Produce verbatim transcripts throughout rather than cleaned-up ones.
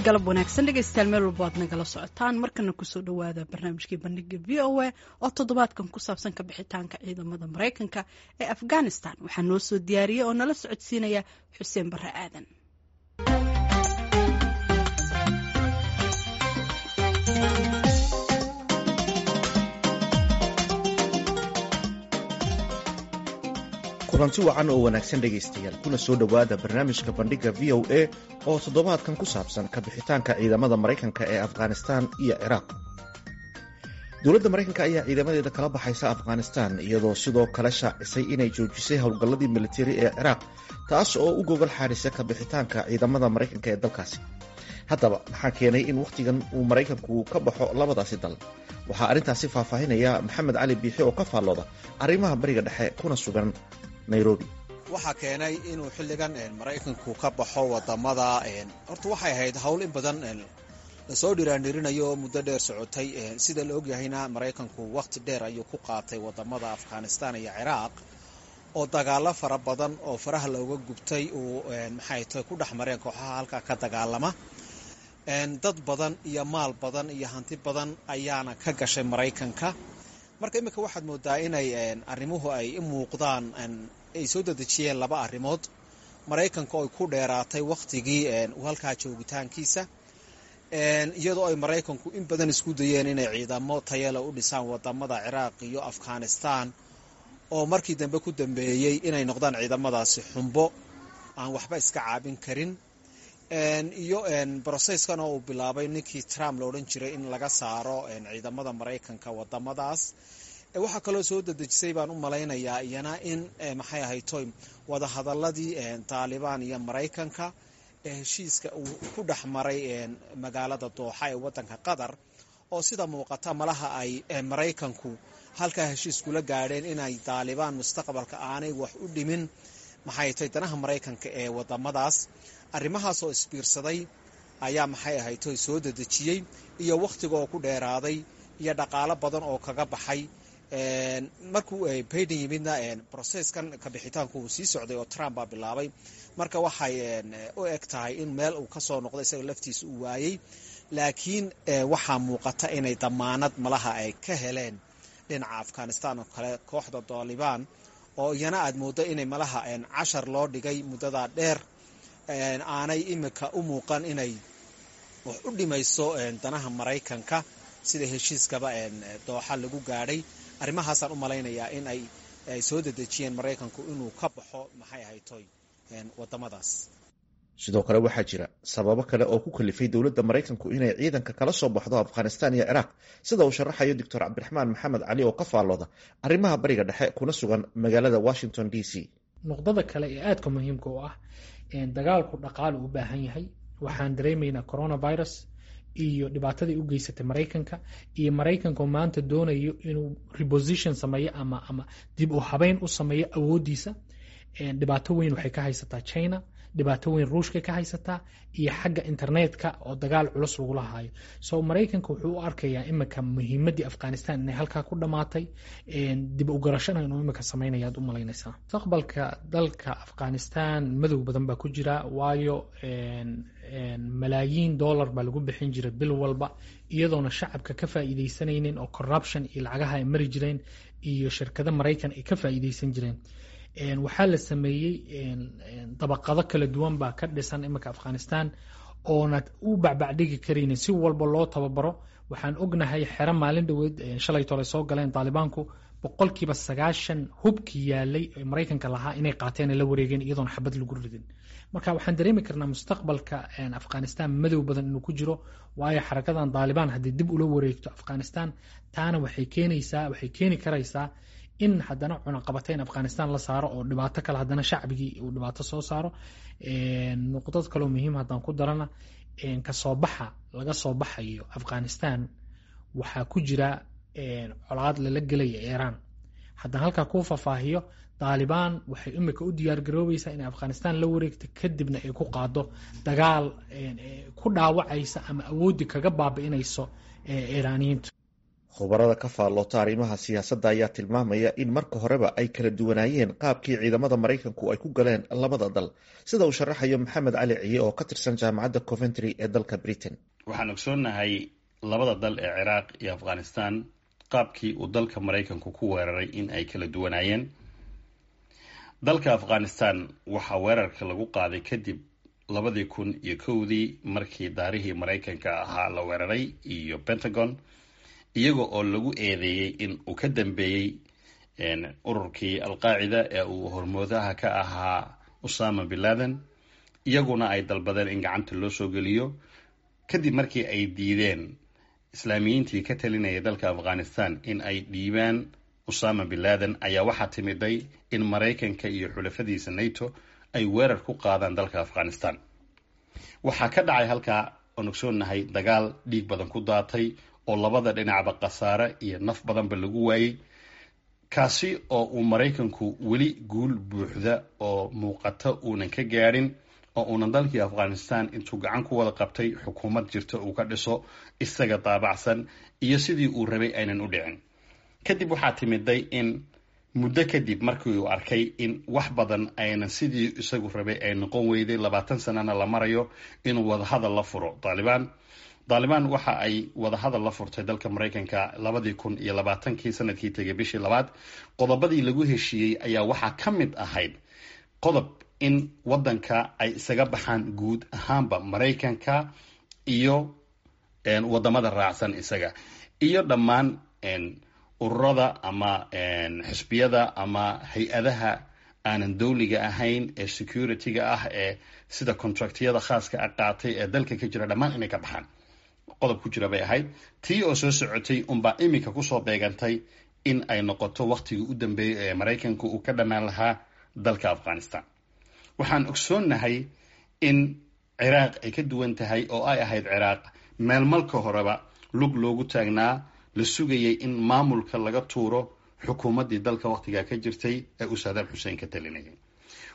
Galab wanaagsan dhegeystayaal, meel walbo aad nagala socotaan. Markana kusoo dhawaada barnaamijkii Bandhiga V O A oo toddobaadkan ku saabsan ka bixitaanka ciidamada Mareykanka ee Afghanistan. Waxaa noo soo diyaariyey oo nala socodsiinaya Xuseen Barre Aadan. Kulanti wacan oo wanaagsan dhegaystayaal, kuna soo dhowaada barnaamijka Bandhigga V O A oo toddobaadkan ku saabsan ka bixitaanka ciidamada Maraykanka ee Afghanistan iyo Ciraaq. Dowladda Maraykanka ayaa ciidamadeeda kala baxaysa Afghanistan, iyadoo sidoo kale shaacisay inay joojisay howlgalladii militari ee Ciraaq, taas oo u gogol xaarisa ka bixitaanka ciidamada Maraykanka ee dalkaasi. Haddaba, maxaa keenay in wakhtigan uu Maraykanku ka baxo labadaasi dal? Waxaa arrintaasi faahfaahinaya Maxamed Cali Biixi oo ka faallooda arrimaha Bariga Dhexe kuna sugan Nairobi. Waxaa keenay inuu xilligan Maraykanku ka baxo wadamada, horta waxay ahayd howl in badan lasoo dhiraandhirinayo oo muddo dheer socotay. Sida la ogyahayna, Maraykanku wakhti dheer ayuu ku qaatay wadamada Afghanistan iyo Ciraaq, oo dagaalo fara badan oo faraha looga gubtay uu maxay tahay ku dhex mareen kooxaha halkaa ka dagaalama. Dad badan iyo maal badan iyo hanti badan ayaana ka gashay Maraykanka. Marka iminka waxaad moodaa inay arrimuhu ay u muuqdaan ay soo dedejiyeen laba arrimood: Maraykanka oo ay ku dheeraatay wakhtigii uu halkaa joogitaankiisa, iyadoo ay Maraykanku in badan isku dayeen inay ciidamo tayale u dhisaan wadamada Ciraaq iyo Afghanistan, oo markii dambe ku dambeeyey inay noqdaan ciidamadaasi xumbo aan waxba iska caabin karin, iyo process-kan oo uu bilaabay ninkii Trump la odhan jiray in laga saaro ciidamada Maraykanka wadamadaas. Waxaa kaloo soo dedejisay baan u malaynayaa iyana in maxay ahaytoy wadahadaladii Taalibaan iyo Maraykanka ee heshiiska uu ku dhex maray magaalada Dooxa ee wadanka Qatar, oo sida muuqata malaha ay Maraykanku halkaa heshiis kula gaadheen inay Taalibaan mustaqbalka aanay wax u dhimin maxay tahay danaha Maraykanka ee wadamadaas. Arrimahaas oo isbiirsaday ayaa maxay ahaytoy soo dedejiyey, iyo wakhtiga oo ku dheeraaday iyo dhaqaalo badan oo kaga baxay. Markuu Biden yimidna, process-kan kabixitaanku uu sii socday oo Trump baa bilaabay. Marka waxay u eg tahay in meel uu kasoo noqday isaga laftiisa uu waayey, laakiin waxaa muuqata inay damaanad malaha ay ka heleen dhinaca Afghanistan oo kale kooxda Taalibaan, oo iyana aad mooddo inay malaha cashar loo dhigay muddadaa dheer, aanay imika u muuqan inay wax u dhimayso danaha Maraykanka sida heshiiskaba Dooxa lagu gaadhay. Arrimahaasaan u malaynayaa in ay ay soo dedejiyeen Maraykanku inuu ka baxo maxay ahaytoy wadamadaas. Sidoo kale waxaa jira sababo kale oo ku kalifay dowladda Maraykanku inay ciidanka kala soo baxdo Afghanistan iyo Ciraaq, sida uu sharaxayo Doctor Cabdiraxmaan Maxamed Cali oo ka faallooda arrimaha Bariga Dhexe kuna sugan magaalada Washington D C. Nuqdada kale ee aadka muhiimka u ah, dagaalku dhaqaale u baahan yahay. Waxaan dareemaynaa coronavirus iyo dhibaatadii u geysatay Maraykanka, iyo Maraykanka maanta doonayo inuu reposition sameeyo ama ama dib u habeyn u sameeyo awooddiisa. Dhibaato weyn waxay ka haysataa China, dhibaato weyn Ruushka ka haysataa, iyo xagga internetka oo dagaal culus lagula hayo. So Maraykanka wuxuu u arkayaa imika muhiimaddii Afghanistan inay halkaa ku dhammaatay, dib u garashana inuu imika sameynaya aad u malaynaysaa. Mustaqbalka dalka Afghanistan madow badan baa ku jira, waayo malaayiin dollar baa lagu bixin jiray bil walba, iyadoona shacabka ka faa'iidaysanaynin oo corruption iyo lacagaha ay mari jireen iyo shirkado Maraykan ay ka faa'iidaysan jireen. Waxaa la sameeyey dabaqado kala duwan baa ka dhisan iminka Afghanistan oonad u bacbacdhigi karaynin si walba loo tababaro. Waxaan ognahay xero maalin dhoweed shalay tole soo galeen Taalibaanku, boqolkiiba sagaashan hubkii yaalay ee Maraykanka lahaa inay qaateen, la wareegeen iyadoon xabad lagu ridin. Marka waxaan dareemi karnaa mustaqbalka Afghanistan madow badan inuu ku jiro, waayo xarakadan Taalibaan haddii dib ula wareegto Afghanistan, taana waxay keenaysaa waxay keeni karaysaa in haddana cunaqabateyn Afghanistan la saaro oo dhibaato kale haddana shacbigii uu dhibaato soo saaro. Nuqdad kaloo muhiim haddaan ku darana, kasoo baxa laga soo baxayo Afghanistan waxaa ku jira colaad lala gelaya Iiraan. Haddaan halkaa kuu faahfaahiyo, Taalibaan waxay imika u diyaar garoobaysaa inay Afghanistan la wareegto, kadibna ay ku qaado dagaal ku dhaawacaysa ama awooddi kaga baabi'inayso Iiraaniyiinta. Khubarada ka faalloota arrimaha siyaasadda ayaa tilmaamaya in marka horeba ay kala duwanaayeen qaabkii ciidamada Maraykanku ay ku galeen labada dal, sida uu sharaxayo Maxamed Cali Ciye oo ka tirsan Jaamacadda Coventry ee dalka Britain. Waxaan ogsoonnahay labada dal ee Ciraaq iyo Afghanistan qaabkii uu dalka Maraykanku ku weeraray in ay kala duwanaayeen. Dalka Afghanistan waxaa weerarka lagu qaaday kadib labadii kun iyo kowdii markii daarihii Maraykanka ahaa la weeraray iyo Pentagon, iyaga oo lagu eedeeyey in uu ka dambeeyey ururkii Alqaacida ee uu hormoodaha ka ahaa Usama bin Laden, iyaguna ay dalbadeen in gacanta loo soo geliyo. Kadib markii ay diideen Islaamiyiintii ka talinaya dalka Afghanistan in ay dhiibaan Usama bin Laden, ayaa waxaa timiday in Maraykanka iyo xulafadiisa NATO ay weerar ku qaadaan dalka Afghanistan. Waxaa ka dhacay halkaa oon ogsoonnahay dagaal dhiig badan ku daatay oo labada dhinacba khasaare iyo naf badanba lagu waayey, kaasi oo uu Maraykanku weli guul buuxda oo muuqata uunan ka gaadhin, oo uunan dalkii Afghanistan intuu gacan ku wada qabtay xukuumad jirta uu ka dhiso isaga daabacsan iyo sidii uu rabay aynan u dhicin. Kadib waxaa timiday in muddo kadib markii uu arkay in wax badan aynan sidii isagu rabay ay noqon weyday, labaatan sanana la marayo, inuu wadahadal la furo Taalibaan. Taalibaan waxa ay wadahadal la furtay dalka Maraykanka labadii kun iyo labaatankii, sanadkii tegay bishii labaad. Qodobadii lagu heshiiyey ayaa waxaa ka mid ahayd qodob in wadanka ay isaga baxaan guud ahaanba Maraykanka iyo wadamada raacsan isaga iyo dhammaan ururada ama xisbiyada ama hay-adaha aanan dowliga ahayn ee security-ga ah ee sida contractyada khaaska a qaatay ee dalka ka jira, dhammaan inay ka baxaan qodob ku jira bay ahayd. Tii oo soo socotay unbaa iminka kusoo beegantay in ay noqoto wakhtigii u dambeeyey ee Maraykanku uu ka dhammaan lahaa dalka Afghanistan. Waxaan ogsoonnahay in Ciraaq ay ka duwan tahay, oo ay ahayd Ciraaq meel malka horeba lug loogu taagnaa, la sugayay in maamulka laga tuuro xukuumaddii dalka wakhtigaa ka jirtay ee uu Saadaam Xuseen ka talinayay.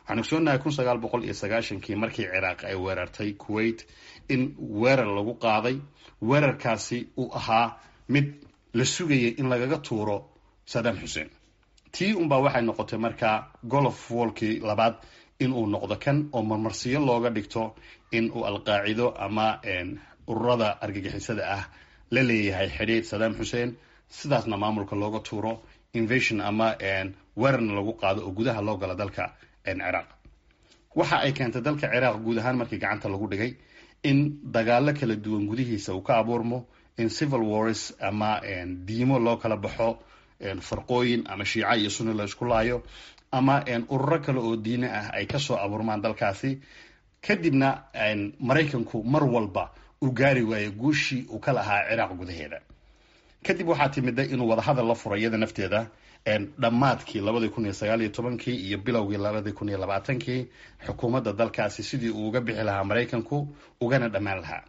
Waxaan ogsoonnahay kun sagaal boqol iyo sagaashankii markii Ciraaq ay weerartay Kuwait in weerar lagu qaaday, weerarkaasi uu ahaa mid la sugayay in lagaga tuuro Saadaam Xuseen. Tii unbaa waxay noqotay markaa Golof Wolkii labaad inuu noqdo kan oo marmarsiyo looga dhigto in uu Alqaacido ama ururada argagixisada ah la leeyahay xidhiir Saddam Xuseen, sidaasna maamulka looga tuuro, invasion ama weerarna lagu qaado oo gudaha loo galo dalka Ciraaq. Waxa ay keentay dalka Ciraaq guud ahaan markii gacanta lagu dhigay in dagaalo kala duwan gudihiisa uu ka abuurmo, in civil wars ama diimo loo kala baxo, farqooyin ama Shiica iyo Sunni la isku laayo ama ururo kale oo diine ah ay kasoo abuurmaan dalkaasi. Kadibna Maraykanku mar walba uu gaari waayo guushii uu ka lahaa Ciraaq gudaheeda. Kadib waxaa timida inuu wadahadal la furay iyada nafteeda dhammaadkii labadii kun iyo sagaal iyo tobankii iyo bilowgii labadii kun iyo labaatankii xukuumadda dalkaasi, sidii uu uga bixi lahaa Maraykanku ugana dhammaan lahaa.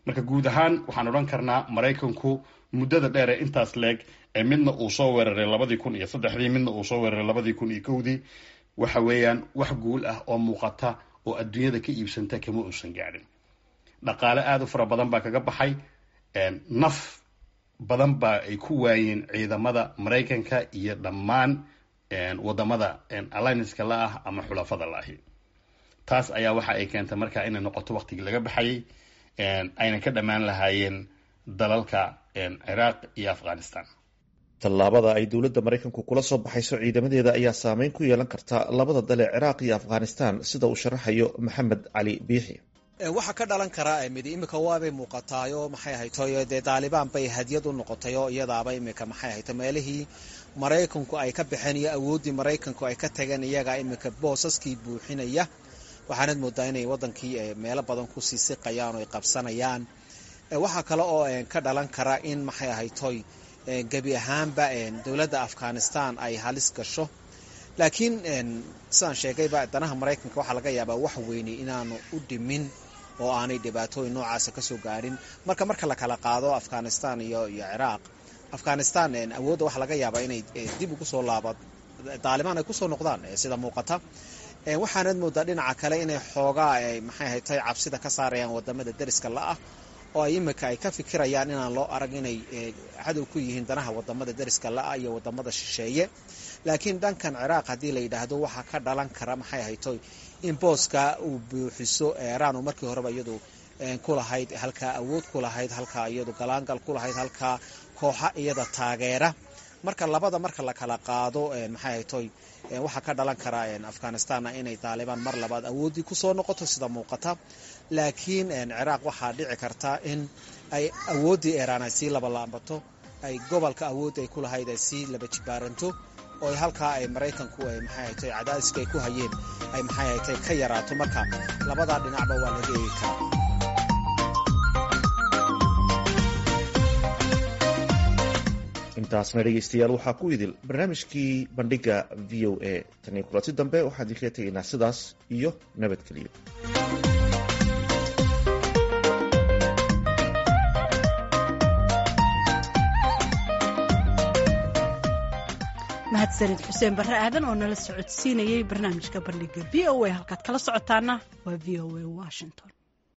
Marka guud ahaan waxaan odhan karnaa Maraykanku muddada dheer ee intaas leeg ee midna uu soo weeraray labadii kun iyo saddexdii, midna uu soo weeraray labadii kun iyo kowdii, waxa weeyaan wax guul ah oo muuqata oo adduunyada ka iibsanta kama uusan gaadhin. Dhaqaale aada u fara badan baa kaga baxay, naf badan baa ay ku waayeen ciidamada Maraykanka iyo dhammaan wadamada allianceka la ah ama xulafada la ahi. Taas ayaa waxa ay keentay markaa inay noqoto waqtigii laga baxayay ayna ka dhammaan lahaayeen dalalka Ciraaq iyo Afghanistan. Tallaabada ay dowladda Maraykanku kula soo baxayso ciidamadeeda ayaa saameyn ku yeelan karta labada dal ee Ciraaq iyo Afghanistan, sida uu sharaxayo Maxamed Cali Biixi. Waxaa ka dhalan karaa midi imika waabay muuqataayo, maxay ahaytoy, dee Daalibaan bay hadiyad u noqotay oo iyadaaba imika, maxay ahayto, meelihii Maraykanku ay ka baxeen iyo awooddii Maraykanku ay ka tageen iyagaa imika boosaskii buuxinaya. Waxaanad moodaa inay wadankii meelo badan kusii siqayaan oo ay qabsanayaan. Waxaa kale oo ka dhalan kara in, maxay ahaytoy, gebi ahaanba dowladda Afghanistan ay halis gasho. Laakiin sidaan sheegayba, danaha Maraykanka waxaa laga yaabaa wax weyne inaanu u dhimin oo aanay dhibaatooyin noocaasa kasoo gaarin. Marka marka la kala qaado Afghanistan iyo iyo Ciraaq, Afghanistan awoodda waxaa laga yaabaa inay dib ugu soo laaba Daalibaan ay kusoo noqdaan sida muuqata. Waxaanad moodaa dhinaca kale inay xoogaa, maxay ahaytay, cabsida ka saarayaan wadamada deriska la-ah oo ay imika ay ka fikirayaan inaan loo arag inay cadow ku yihiin danaha wadamada deriska la-a iyo wadamada shisheeye. Laakiin dhankan Ciraaq haddii la yidhaahdo waxaa ka dhalan kara maxay haytoy in booska uu buuxiso Eeraan oo markii horeba iyadu ku lahayd halkaa awood ku lahayd, halkaa iyadu galaangal ku lahayd, halkaa kooxa iyada taageera. Marka labada marka la kala qaado maxay haytoy waxaa ka dhalan kara Afghanistanna inay Taalibaan mar labaad awooddii kusoo noqoto sida muuqata. Laakiin Ciraaq waxaa dhici karta in ay awooddii Eeraan ay sii labalaambato, ay gobolka awoodda ay ku lahayd ay sii laba jibaaranto, oo halkaa ay Maraykanku ay maxay haytoy cadaadiska ay ku hayeen ay maxay haytoy ka yaraato. Marka labadaa dhinacba waa laga eegi karaa. Intaasna dhegeystayaal waxaa ku idil barnaamijkii bandhiga V O A. Tan iyo kulanti dambe waxaan idinkaga tegaynaa sidaas iyo nabadgeliyo. Mahadsanid Xuseen Barre Aadan oo nala socodsiinayay barnaamijka bandhiga V O A. Halkaad kala socotaana waa V O A Washington.